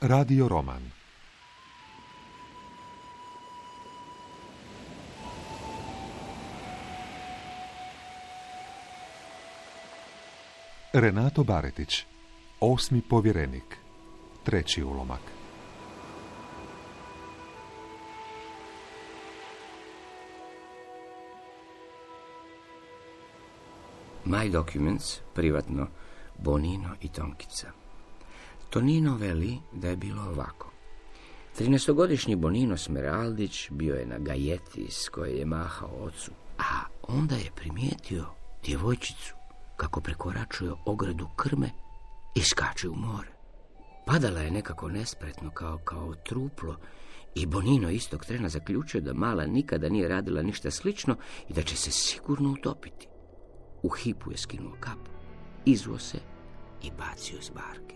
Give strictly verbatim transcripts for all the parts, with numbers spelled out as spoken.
Radio roman. Renato Baretić, Osmi povjerenik, treći ulomak. My Documents, privatno, Bonino i Tonkica. Tonino veli da je bilo ovako. Trinaestogodišnji Bonino Smeraldić bio je na gajeti s koje je mahao ocu, a onda je primijetio djevojčicu kako prekoračuje ogradu krme i skače u more. Padala je nekako nespretno kao, kao truplo i Bonino istog trena zaključio da mala nikada nije radila ništa slično i da će se sigurno utopiti. U hipu je skinuo kapu, izvuo se i bacio s barke.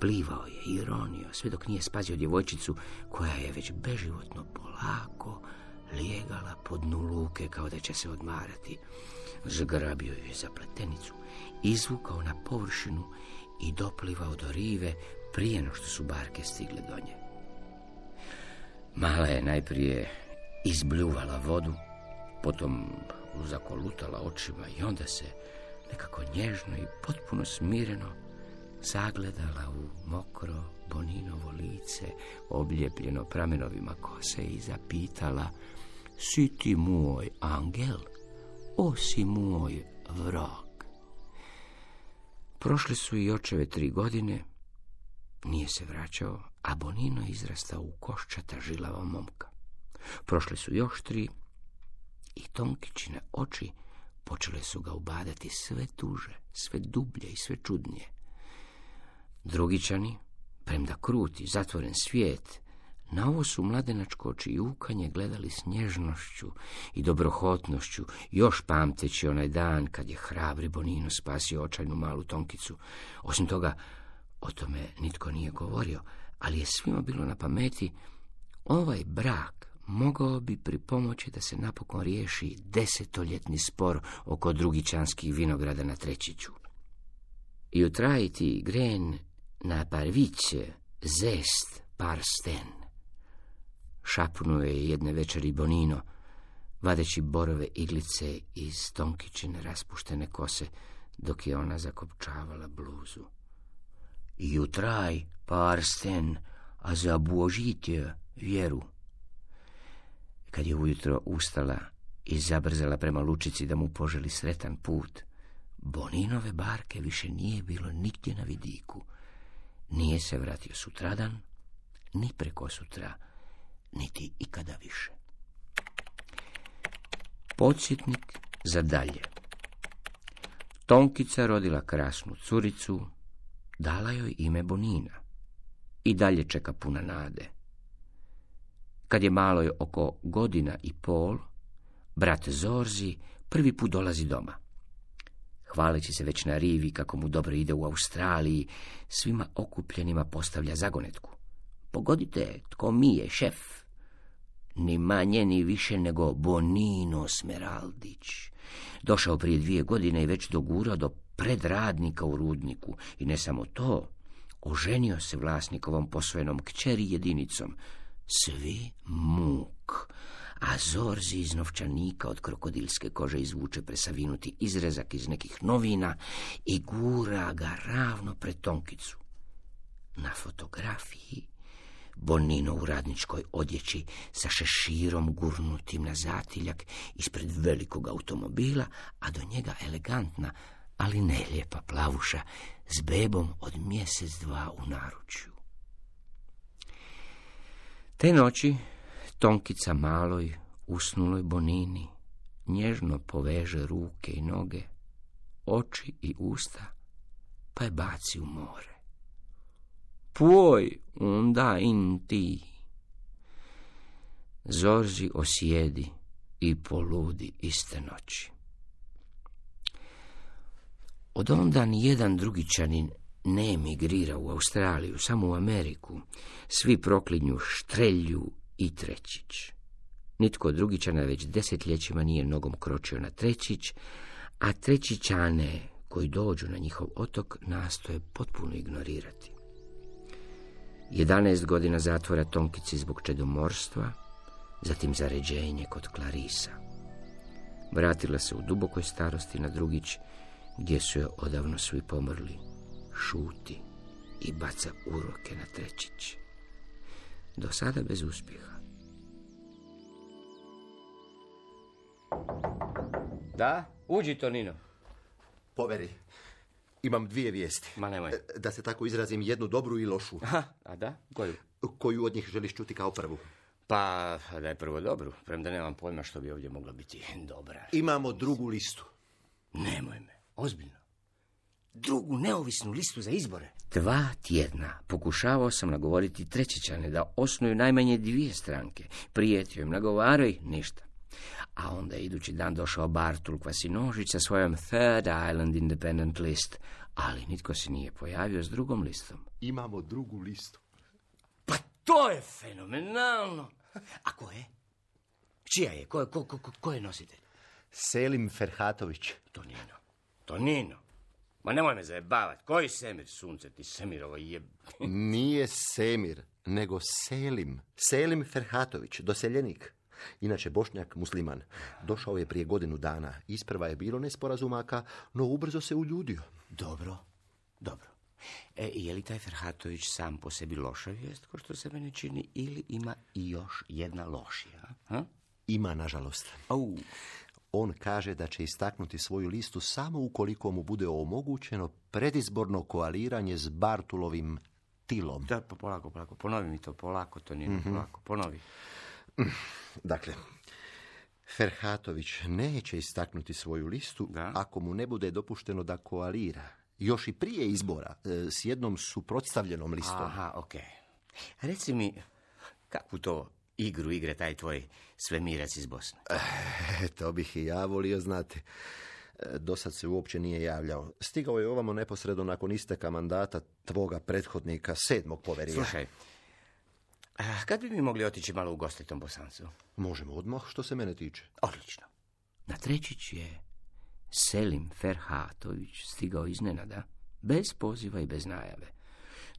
Plivao je i ronio sve dok nije spazio djevojčicu koja je već beživotno polako lijegala po dnu luke kao da će se odmarati. Zgrabio je za pletenicu, izvukao na površinu i doplivao do rive prije no što su barke stigle do nje. Mala je najprije izbljuvala vodu, potom zakolutala očima i onda se nekako nježno i potpuno smireno zagledala u mokro Boninovo lice, oblijepljeno pramenovima kose i zapitala: si ti moj angel, o si moj vrag? Prošle su i očeve tri godine, nije se vraćao, a Bonino izrastao u koščata žilava momka. Prošle su još tri i Tonkičine oči počele su ga ubadati sve tuže, sve dublje i sve čudnije. Drugičani, premda kruti, zatvoren svijet, na ovo su mladenačko očijukanje gledali s nježnošću i dobrohotnošću, još pamteći onaj dan kad je hrabri Bonino spasio očajnu malu Tonkicu. Osim toga, o tome nitko nije govorio, ali je svima bilo na pameti: ovaj brak mogao bi pripomoći da se napokon riješi desetoljetni spor oko drugičanskih vinograda na Trećiću. I utrajiti gren na parviće zest par sten, šapnuo je jedne večeri Bonino, vadeći borove iglice iz Tonkičine raspuštene kose, dok je ona zakopčavala bluzu. Jutraj par sten, a za božitje vjeru. Kad je ujutro ustala i zabrzala prema lučici da mu poželi sretan put, Boninove barke više nije bilo nigdje na vidiku. Nije se vratio sutradan, ni preko sutra, niti ikada više. Podsjetnik za dalje. Tonkica rodila krasnu curicu, dala joj ime Bonina. I dalje čeka puna nade. Kad je maloj oko godina i pol, brat Zorzi prvi put dolazi doma. Hvaleći se već na rivi kako mu dobro ide u Australiji, svima okupljenima postavlja zagonetku. Pogodite, tko mi je šef? Ni manje ni više nego Bonino Smeraldić. Došao prije dvije godine i već dogurao do predradnika u rudniku. I ne samo to, oženio se vlasnikovom posvojenom kćeri jedinicom. Svi muk, a Zorzi iz novčanika od krokodilske kože izvuče presavinuti izrezak iz nekih novina i gura ga ravno pred Tonkicu. Na fotografiji Bonino u radničkoj odjeći sa šeširom gurnutim na zatiljak ispred velikog automobila, a do njega elegantna, ali ne lijepa plavuša s bebom od mjesec dva u naručju. Te noći Tonkica maloj, usnuloj Bonini, nježno poveže ruke i noge, oči i usta, pa je baci u more. Puoj onda in ti. Zorzi osjedi i poludi iste noći. Od onda nijedan drugičanin ne emigrira u Australiju, samo u Ameriku. Svi proklinju Štrelju i Trećić. Nitko od drugičana već desetljećima nije nogom kročio na Trećić, a Trećićane koji dođu na njihov otok nastoje potpuno ignorirati. jedanaest godina zatvora Tonkici zbog čedomorstva, zatim zaređenje kod Clarisa. Vratila se u dubokoj starosti na Drugić, gdje su joj odavno svi pomrli. Šuti i baca uroke na Trećić. Do sada bez uspjeha. Da, uđi, Tonino. Poveri, imam dvije vijesti. Ma nemoj. Da se tako izrazim, jednu dobru i lošu. Aha, a da? Koju? Koju od njih želiš čuti kao prvu? Pa, da je prvo dobru, premda nemam pojma što bi ovdje mogla biti dobra. Imamo drugu listu. Nemoj me, ozbiljno. Drugu neovisnu listu za izbore. Dva tjedna pokušavao sam nagovoriti Trećićane da osnuju najmanje dvije stranke. Prijetio im, nagovarao ih, ništa. A onda je idući dan došao Bartul Kvasinožić sa svojom Third Island Independent List, ali nitko se nije pojavio s drugom listom. Imamo drugu listu. Pa to je fenomenalno! A ko je? Čija je? Ko je, ko, ko, ko je nositelj? Selim Ferhatović. Tonino. Tonino. Ma nemoj me zajebavat. Koji Semir, sunce ti Semirovo jeb... Nije Semir, nego Selim. Selim Ferhatović, doseljenik. Inače Bošnjak musliman. Došao je prije godinu dana. Isprva je bilo nesporazumaka, no ubrzo se uljudio. Dobro, dobro. E, je li taj Ferhatović sam po sebi loša vijest, ko što se meni čini, ili ima i još jedna lošija? Ha? Ima, nažalost. Au. On kaže da će istaknuti svoju listu samo ukoliko mu bude omogućeno predizborno koaliranje s Bartulovim Tilom. Da, pa polako, polako. Ponovi mi to, polako, to nije mm-hmm. polako. Ponovi. Dakle, Ferhatović neće istaknuti svoju listu da? Ako mu ne bude dopušteno da koalira. Još i prije izbora, s jednom suprotstavljenom listom. Aha, okej. Okay. Reci mi, kakvu to igru igre taj tvoj svemirac iz Bosne? E, to bih i ja volio znati. Do sad se uopće nije javljao. Stigao je ovamo neposredno nakon isteka mandata tvoga prethodnika, sedmog poverija. Slušaj, a kad bi mi mogli otići malo u goste tom Bosancu? Možemo odmah, što se mene tiče. Odlično. Na Trećić je Selim Ferhatović stigao iznenada, bez poziva i bez najave.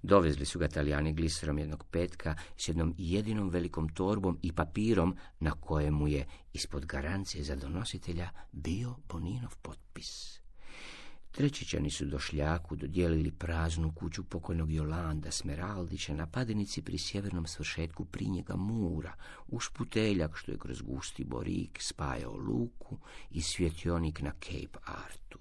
Dovezli su ga Talijani gliserom jednog petka s jednom jedinom velikom torbom i papirom na kojemu je ispod garancije za donositelja bio Boninov potpis. Trećićani su Došljaku dodijelili praznu kuću pokojnog Jolanda Smeraldića na Padinici pri sjevernom svršetku Prinjega Mura, uz puteljak što je kroz gusti borik spajao luku i svjetionik na Cape Artu.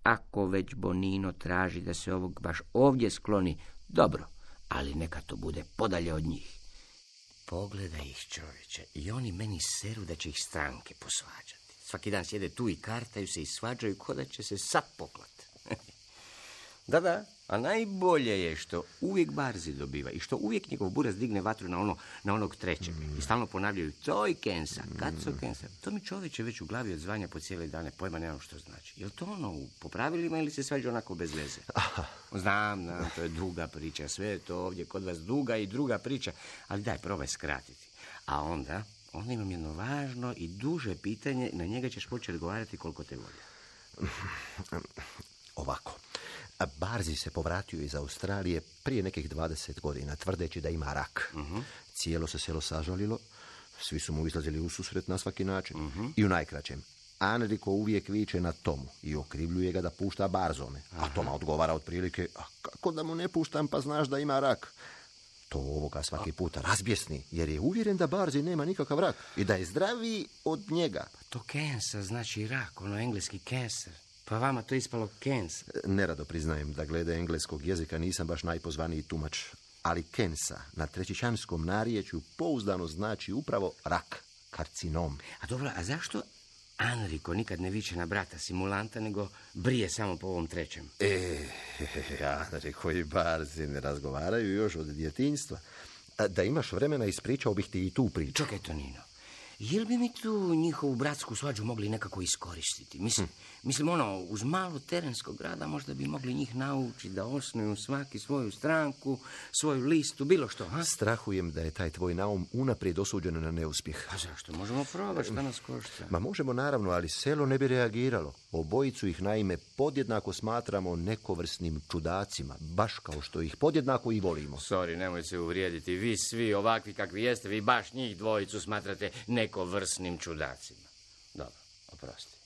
Ako već Bonino traži da se ovog baš ovdje skloni, dobro, ali neka to bude podalje od njih. Pogledaj ih, čovječe, i oni meni seru da će ih stranke posvađati. Svaki dan sjede tu i kartaju se i svađaju ko da će se sad poklat. Da, da, a najbolje je što uvijek Barzi dobiva i što uvijek njegov buraz digne vatru na, ono, na onog trećeg. Mm. I stalno ponavljaju, to je Kensa, kad su Kensa. To mi čovječe već u glavi od zvanja po cijele dane, pojma nemam što znači. Je li to ono po pravilima ili se svađa onako bez veze? Aha. Znam, znam, to je druga priča, sve je to ovdje kod vas duga i druga priča, ali daj, probaj skratiti. A onda... Onda imam jedno važno i duže pitanje, na njega ćeš početi odgovarati koliko te volja. Ovako, Barzi se povratio iz Australije prije nekih dvadeset godina, tvrdeći da ima rak. Uh-huh. Cijelo se selo sažalilo, svi su mu izlazili u susret na svaki način. Uh-huh. I u najkraćem, Anriko uvijek viče na Tomu i okrivljuje ga da pušta Barzome. Aha. A Toma odgovara otprilike, a kako da mu ne puštam pa znaš da ima rak? To ovoga svaki puta razbjesni, jer je uvjeren da Barzi nema nikakav rak i da je zdraviji od njega. Pa to cancer znači rak, ono engleski cancer. Pa vama to ispalo cancer. Nerado priznajem da glede engleskog jezika nisam baš najpozvaniji tumač, ali kensa na trećićanskom narječju pouzdano znači upravo rak, karcinom. A dobro, a zašto Anriko nikad ne viče na brata simulanta, nego brije samo po ovom trećem? E, Anriko i Barzi ne razgovaraju još od djetinjstva. Da imaš vremena, ispričao bih ti i tu priču. Čekaj, Tonino, jel bi mi tu njihovu bratsku svađu mogli nekako iskoristiti? Mislim, hm. mislim ono, uz malo terenskog rada možda bi mogli njih naučiti da osnuju svaki svoju stranku, svoju listu, bilo što, ha? Strahujem da je taj tvoj naum unaprijed osuđen na neuspjeh. A zašto? Možemo probati, šta nas košta? Ma možemo naravno, ali selo ne bi reagiralo. Obojicu ih naime podjednako smatramo nekovrsnim čudacima, baš kao što ih podjednako i volimo. Sorry, nemoj se uvrijediti. Vi svi ovakvi kakvi jeste, vi baš njih dvojicu smatrate nekovrsnim čudacima. Dobro, oprosti.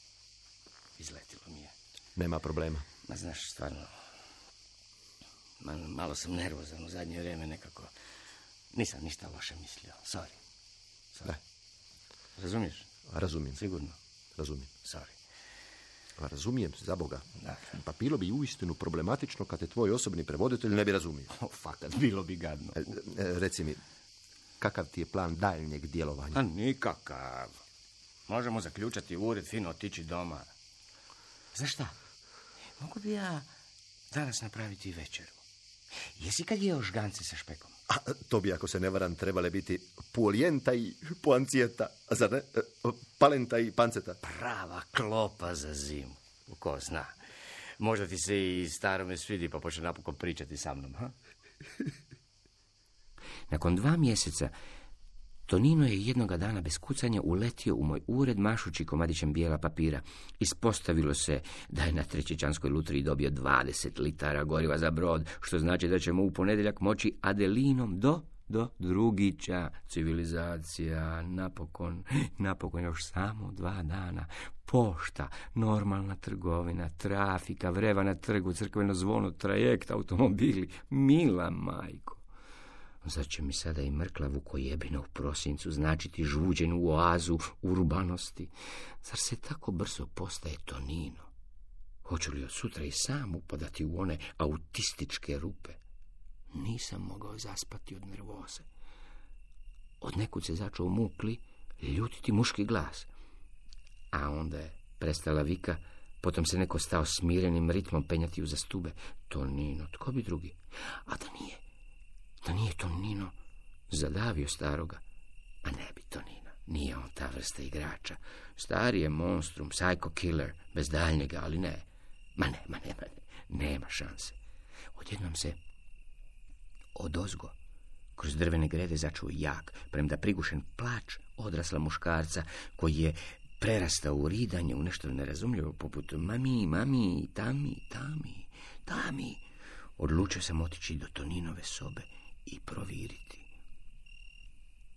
Izletilo mi je. Nema problema. Ma znaš, stvarno, malo, malo sam nervozan u zadnje vrijeme nekako. Nisam ništa loše mislio. Sorry. Sorry. Da. Razumiješ? Razumijem. Sigurno. Razumijem. Sorry. Pa razumijem, za Boga. Da. Pa bilo bi uistinu problematično kad te tvoj osobni prevoditelj ne bi razumio. O, fakat, bilo bi gadno. E, e, reci mi, kakav ti je plan daljnjeg djelovanja? A nikakav. Možemo zaključati ured, fino otići doma. Znaš šta? Mogu bi ja danas napraviti večeru. Jesi kad jeo žgance sa špekom? A, to bi, ako se ne varam, trebale biti puolijenta i puancijeta, a zar ne? E, palenta i panceta. Prava klopa za zimu. Ko zna. Možda ti se i starome svidi pa počne napokon pričati sa mnom, ha? Nakon dva mjeseca Tonino je jednoga dana bez kucanja uletio u moj ured mašući komadićem bijela papira. Ispostavilo se da je na Trećićanskoj lutriji dobio dvadeset litara goriva za brod, što znači da ćemo u ponedjeljak moći Adelinom do, do Drugića. Civilizacija, napokon, napokon još samo dva dana. Pošta, normalna trgovina, trafika, vreva na trgu, crkveno zvono, trajekt, automobili. Mila majko. Zar će mi sada i mrkla Vukojebina u prosincu značiti žuđenu oazu urbanosti? Zar se tako brzo postaje Tonino? Hoću li od sutra i sam upadati u one autističke rupe? Nisam mogao zaspati od nervoze. Od nekud se začeo mukli, ljutiti muški glas. A onda je prestala vika, potom se neko stao smirenim ritmom penjati uza stube. Tonino, tko bi drugi? A da nije, da nije Tonino zadavio staroga. A ne bi Tonino, nije on ta vrsta igrača. Stari je monstrum, psycho killer, bez daljnjega, ali ne. Ma ne, ma ne, ma ne, nema šanse. Odjednom se odozgo kroz drvene grede začuo jak, premda prigušen plač odrasla muškarca koji je prerastao u ridanje, u nešto nerazumljivo poput mami, mami, tami, tami, tami. Odlučio sam otići do Toninove sobe i proviriti.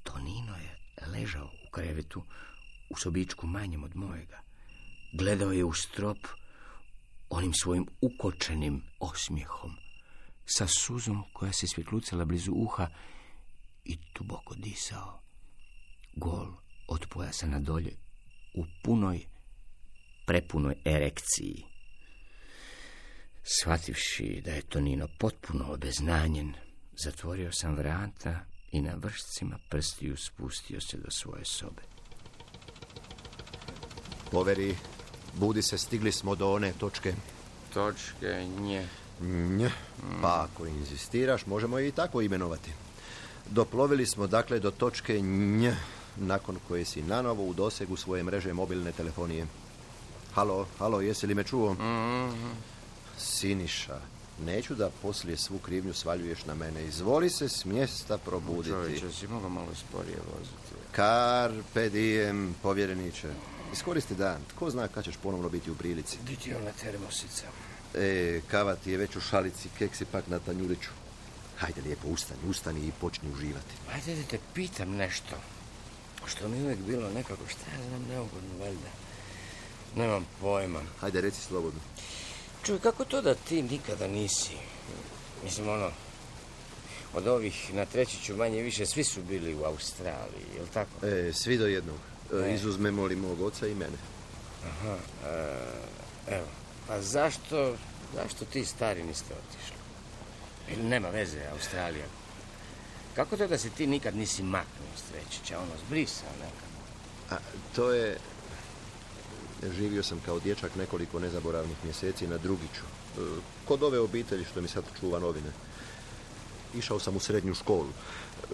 Tonino je ležao u krevetu u sobičku manjem od mojega. Gledao je u strop onim svojim ukočenim osmijehom, sa suzom koja se svjetlucala blizu uha i duboko disao. Gol od pojasa na dolje, u punoj, prepunoj erekciji. Shvativši da je Tonino potpuno obeznanjen, zatvorio sam vrata i na vršcima prstiju spustio se do svoje sobe. Poveri, budi se, stigli smo do one točke. Točke nje. Nje. Pa ako inzistiraš, možemo je i tako imenovati. Doplovili smo dakle do točke nj, nakon koje si nanovo u dosegu svoje mreže mobilne telefonije. Halo, halo, jesi li me čuo? Mm-hmm. Siniša, neću da poslije svu krivnju svaljuješ na mene. Izvoli se s mjesta probuditi. Čovječe, si mogao malo sporije voziti. Carpe diem, povjereniče. Iskoristi dan. Tko zna kad ćeš ponovno biti u prilici. Di ti ona termosica? E, kava ti je već u šalici, keksi pak na tanjuriću. Hajde lijepo, ustani, ustani i počni uživati. Hajde da te pitam nešto. Što mi uvijek bilo nekako, šta ja znam, neugodno, valjda. Nemam pojma. Hajde, reci slobodno. Čuj, kako to da ti nikada nisi? Mislim, ono, od ovih na Trećiću manje više svi su bili u Australiji, je li tako? E, svi do jednog. E. Izuzmemo li mog oca i mene. Aha, e, evo. Pa zašto, zašto ti stari niste otišli? Ili nema veze, Australija. Kako to da se ti nikad nisi maknuo s Trećića, ono, zbrisao nekako? A, to je... Živio sam kao dječak nekoliko nezaboravnih mjeseci na Drugiću. E, kod ove obitelji što mi sad čuva novine. Išao sam u srednju školu.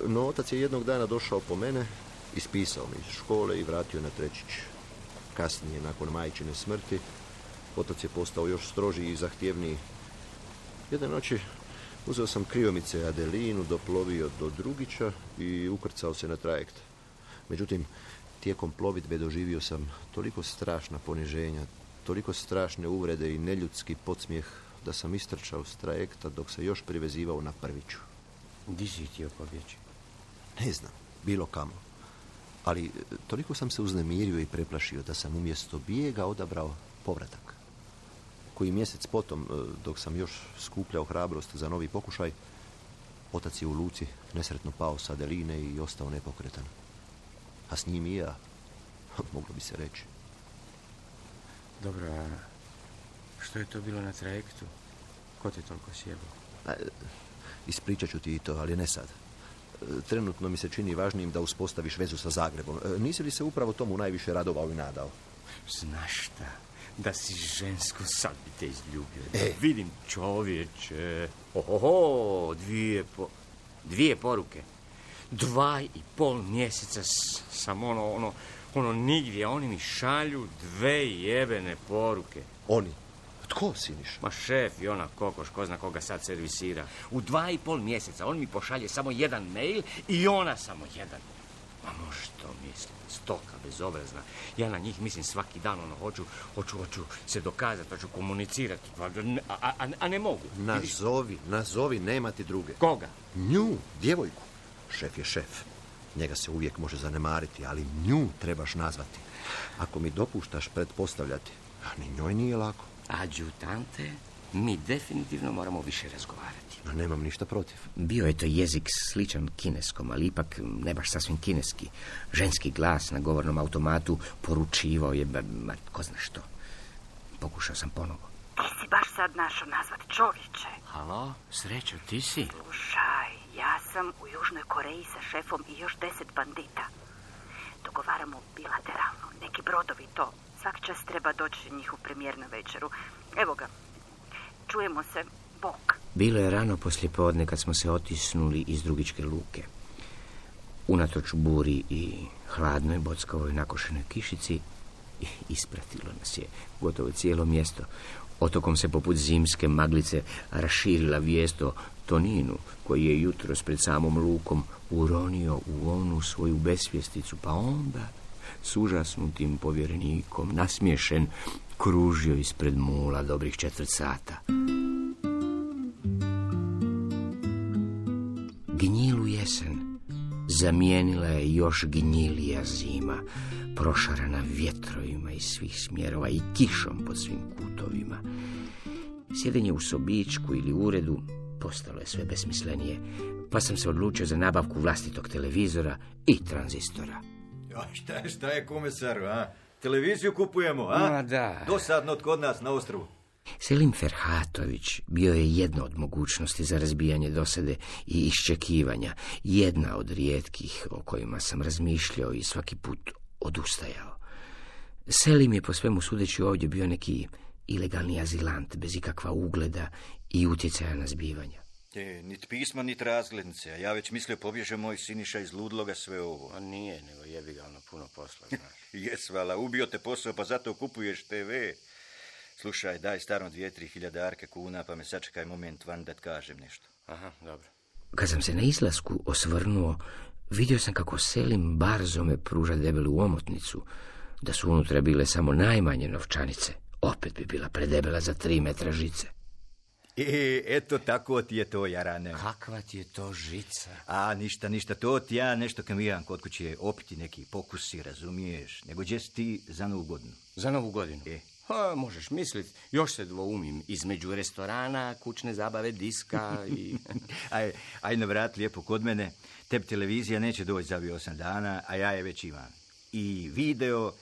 No, otac je jednog dana došao po mene, ispisao me iz škole i vratio na Trećić. Kasnije, nakon majčine smrti, otac je postao još strožiji i zahtjevniji. Jedne noći uzeo sam kriomice Adelinu, doplovio do Drugića i ukrcao se na trajekt. Međutim, tijekom plovidbe doživio sam toliko strašna poniženja, toliko strašne uvrede i neljudski podsmijeh da sam istrčao s trajekta dok se još privezivao na Prviću. Di si htio pobjeći? Ne znam, bilo kamo. Ali toliko sam se uznemirio i preplašio da sam umjesto bijega odabrao povratak. Koji mjesec potom, dok sam još skupljao hrabrost za novi pokušaj, otac je u luci nesretno pao sa deline i ostao nepokretan. A s njim i ja, moglo bi se reći. Dobro, a što je to bilo na trajektu? Ko te toliko sjebao? Ispričat ću ti i to, ali ne sad. Trenutno mi se čini važnijim da uspostaviš vezu sa Zagrebom. Nisi li se upravo tomu najviše radovao i nadao? Znaš šta? Da si žensko, sad bi te izljubio. E. Vidim, čovječe. Ohoho, dvije, po... dvije poruke. Dva i pol mjeseca s, sam ono, ono, ono nigdje. Oni mi šalju dve jebene poruke. Oni? Tko, Siniš? Ma šef i ona kokoš, ko zna koga sad servisira. U dva i pol mjeseca on mi pošalje samo jedan mail i ona samo jedan. Ma možeš to misliti, stoka bezobrazna. Ja na njih mislim svaki dan, ono, hoću, hoću, hoću se dokazati, hoću komunicirati, a, a, a ne mogu. Nazovi, nazovi, nema ti druge. Koga? Nju, djevojku. Šef je šef. Njega se uvijek može zanemariti, ali nju trebaš nazvati. Ako mi dopuštaš pretpostavljati, ni njoj nije lako. Adjutante, mi definitivno moramo više razgovarati. No, nemam ništa protiv. Bio je to jezik sličan kineskom, ali ipak ne baš sasvim kineski. Ženski glas na govornom automatu poručivao je, ma, ko zna što. Pokušao sam ponovo. Ti si baš sad našao nazvati, čovječe. Halo, Srećo, ti si? Slušaj, ja sam u Južnoj Koreji sa šefom i još deset bandita. Dogovaramo bilateralno, neki brodovi to. Svaki čas treba doći njihov premijer na večeru. Evo ga, čujemo se, bok. Bilo je rano poslijepodne kad smo se otisnuli iz Drugičke luke. Unatoč buri i hladnoj bockavoj nakošenoj kišici, ispratilo nas je gotovo cijelo mjesto. Otokom se poput zimske maglice raširila vijest o Toninu, koji je jutros pred samom lukom uronio u onu svoju besvjesticu, pa onda s užasnutim povjerenikom, nasmiješen, kružio ispred mula dobrih četvrt sata. Gnjilu jesen zamijenila je još gnjilija zima, prošarana vjetrovima iz svih smjerova i kišom pod svim kutovima. Sjedenje u sobičku ili uredu postalo je sve besmislenije, pa sam se odlučio za nabavku vlastitog televizora i tranzistora. Ja, šta je, šta je komesaru, a? Televiziju kupujemo, a? Ma da. Dosadno kod nas na ostrovu. Selim Ferhatović bio je jedna od mogućnosti za razbijanje dosade i iščekivanja, jedna od rijetkih o kojima sam razmišljao i svaki put odustajao. Selim je po svemu sudeći ovdje bio neki ilegalni azilant, bez ikakva ugleda i utjecaja na zbivanja. E, nit pisma, nit razglednice, a ja već mislio pobježe moj Siniša iz ludloga sve ovo. A nije, nego jebi ga ono puno posla, znaš. Jes, vala, ubio te posao, pa zato kupuješ te ve. Slušaj, daj starom dvije, tri hiljadarke kuna, pa me sačekaj moment van da kažem nešto. Aha, dobro. Kad sam se na izlasku osvrnuo, vidio sam kako Selim barzome pruža debelu omotnicu, da su unutra bile samo najmanje novčanice. Opet bi bila predebela za tri metra žice. E, eto tako ti je to, Jarane. Kakva ti je to žica? A, ništa, ništa, to ti ja nešto kamijan kod kuće opiti neki pokusi, razumiješ, nego gdje si ti za novu godinu? Za novu godinu? E. Ha, možeš misliti, još se dvoumim između restorana, kućne zabave, diska i... aj, aj na vrat lijepo kod mene, tebi televizija neće doći za ovih osam dana, a ja je već imam. I video,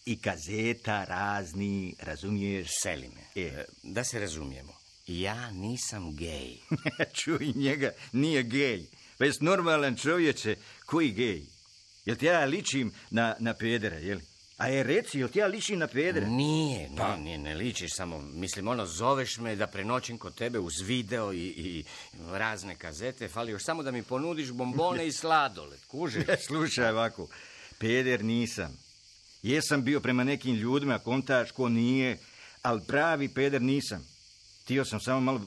i kazeta razni, razumiješ? Selime, E. da se razumijemo, ja nisam gej. Čuj njega, nije gej. Pa jes normalan čovječe, koji gej? Jel ti ja ličim na, na pedera, jel? A je reci, jel ti ja ličim na pedera? Nije, pa. ne, ne ličiš, samo, mislim, ono, zoveš me da prenoćim kod tebe uz video i, i razne kazete, fali još samo da mi ponudiš bombone i sladoled, kužiš? Slušaj ovako, peder nisam. Jesam bio prema nekim ljudima, kontaš ko nije, ali pravi peder nisam. Tio sam samo malo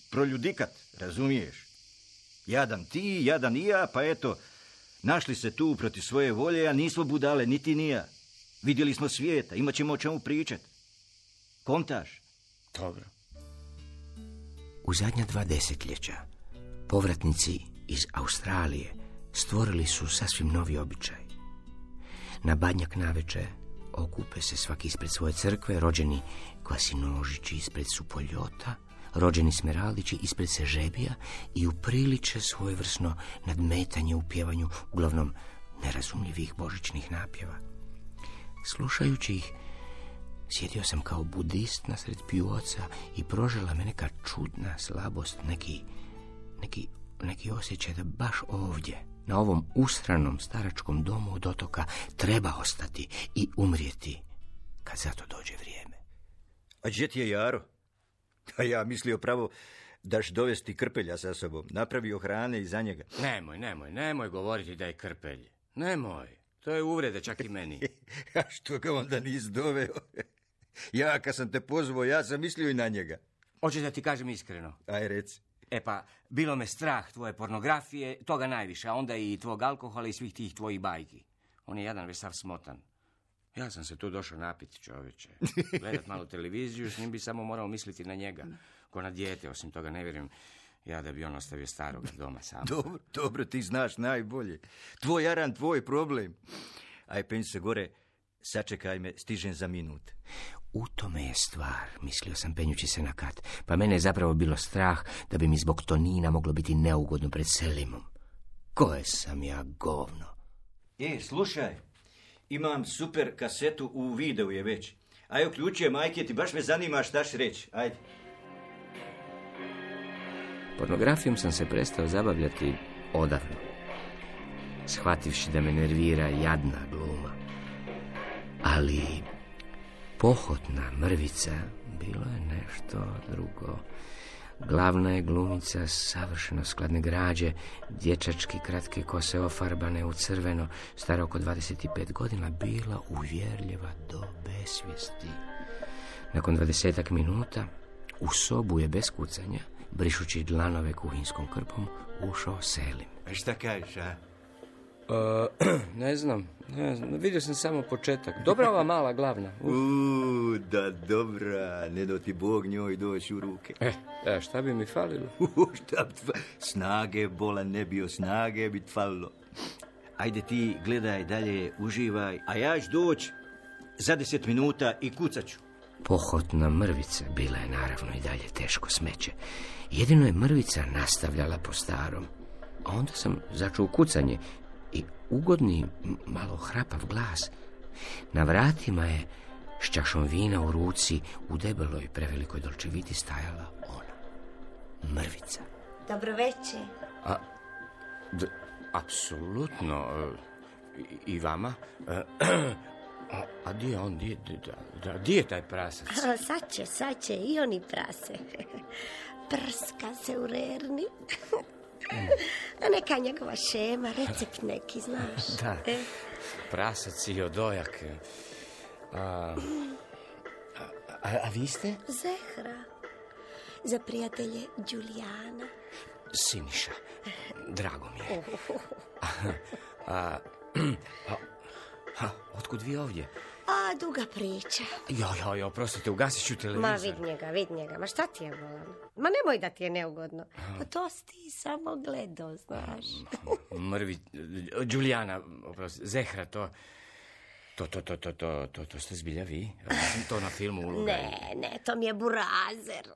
proljudikat, razumiješ? Jadan ti, jadan i ja, pa eto, našli se tu protiv svoje volje, a nismo budale, niti ni ja. Vidjeli smo svijeta, imat ćemo o čemu pričat. Kontaš? Dobro. U zadnja dva desetljeća povratnici iz Australije stvorili su sasvim novi običaj. Na Badnjak navečer okupe se svaki ispred svoje crkve, rođeni Kvasinožići ispred Supoljota, rođeni Smeraldići ispred Sežebija i upriliče svojevrsno nadmetanje u pjevanju uglavnom nerazumljivih božićnih napjeva. Slušajući ih, sjedio sam kao budist nasred pjuoca i prožela me neka čudna slabost, neki, neki, neki osjećaj da baš ovdje, na ovom usranom staračkom domu od otoka, treba ostati i umrijeti kad za to dođe vrijeme. A gdje ti je Jaro? A ja mislio pravo daš dovesti Krpelja sa sobom, napravio hrane i za njega. Nemoj, nemoj, nemoj govoriti da je Krpelj. Nemoj, to je uvrede čak i meni. A što ga onda nisi doveo? Ja, kad sam te pozvao, ja sam mislio i na njega. Hoćeš da ti kažem iskreno? Aj, reci. E pa, bilo me strah tvoje pornografije, toga najviše, a onda i tvog alkohola i svih tih tvojih bajki. On je jadan već sav smotan. Ja sam se tu došao napiti, čovječe. Gledat malo televiziju, s njim bi samo morao misliti na njega. Ko na dijete, osim toga ne vjerujem ja da bi on ostavio staroga doma sam. Dobro, dobro, ti znaš najbolje. Tvoj jaran, tvoj problem. Aj, penj se gore, sačekaj me, stižem za minut. U tome je stvar, mislio sam penjući se na kat, pa mene je zapravo bilo strah da bi mi zbog Tonina moglo biti neugodno pred Selimom. Koje sam ja govno. E, slušaj, imam super kasetu u videu je već. Aj, uključuje majke, ti baš me zanima šta ćeš reći, ajde. Pornografijom sam se prestao zabavljati odavno, shvativši da me nervira jadna gluma. Ali pohotna mrvica bilo je nešto drugo. Glavna je glumica savršeno skladne građe, dječački kratke kose ofarbane u crveno, stara oko dvadeset pet godina, bila uvjerljiva do besvijesti. Nakon dvadesetak minuta u sobu je bez kucanja, brišući dlanove kuhinskom krpom, ušao Selim. A šta kažeš, a? Uh, ne znam, ne znam, vidio sam samo početak. Dobra ova mala glavna. Uh. Uuu, da dobra, ne do ti Bog njoj doći u ruke. E, a šta bi mi falilo? Uh, šta bi tva... Snage, bola ne bio, snage bi falilo. Ajde ti, gledaj dalje, uživaj, a ja ću doći za deset minuta i kucaću. Pohotna mrvica bila je naravno i dalje teško smeće. Jedino je mrvica nastavljala po starom. A onda sam začuo kucanje i ugodni, malo hrapav glas. Na vratima je s čašom vina u ruci u debeloj prevelikoj dolčeviti stajala ona, mrvica. Dobro večer. A, d, apsolutno. I, i vama. A, a di je on, di, di, da, di je taj prasac? A, sad će, sad će i oni prase. Prska se u rerni. A neka njegova šema, recept neki, znaš. Da, e? Prasac i odojak. A, a, a vi ste? Zehra. Za prijatelje Đulijana. Siniša, drago mi je. A, a, a, a otkud vi ovdje? A, duga priča. Jo, jo, jo, prostite, ugasit ću televizor. Ma, vid njega, vid njega. Ma šta ti je volan? Ma nemoj da ti je neugodno. Pa to si ti samo gledao, znaš. Mrvi, Đulijana, oprosti, Zehra, to... To, to, to, to, to, to, to ste zbilja vi? To na filmu uloga. Ne, ne, to mi je burazer.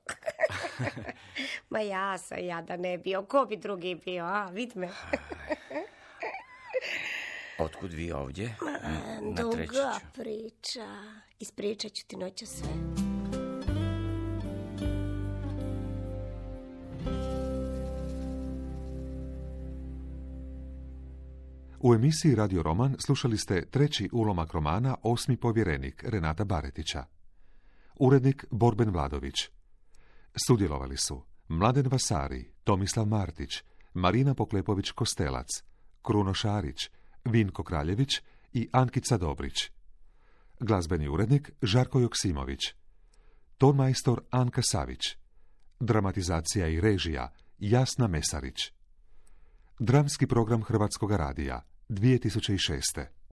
Ma ja sam ja da ne bio. Ko bi drugi bio, a? Vid me. Otkud vi ovdje? Ma, duga priča. Ispričat ću ti noću sve. U emisiji Radio Roman slušali ste treći ulomak romana Osmi povjerenik Renata Baretića. Urednik Borben Vladović. Sudjelovali su Mladen Vasari, Tomislav Martić, Marina Poklepović-Kostelac, Kruno Šarić, Vinko Kraljević i Ankica Dobrić. Glazbeni urednik Žarko Joksimović. Tonmajstor Anka Savić. Dramatizacija i režija Jasna Mesarić. Dramski program Hrvatskoga radija dvije tisuće šeste.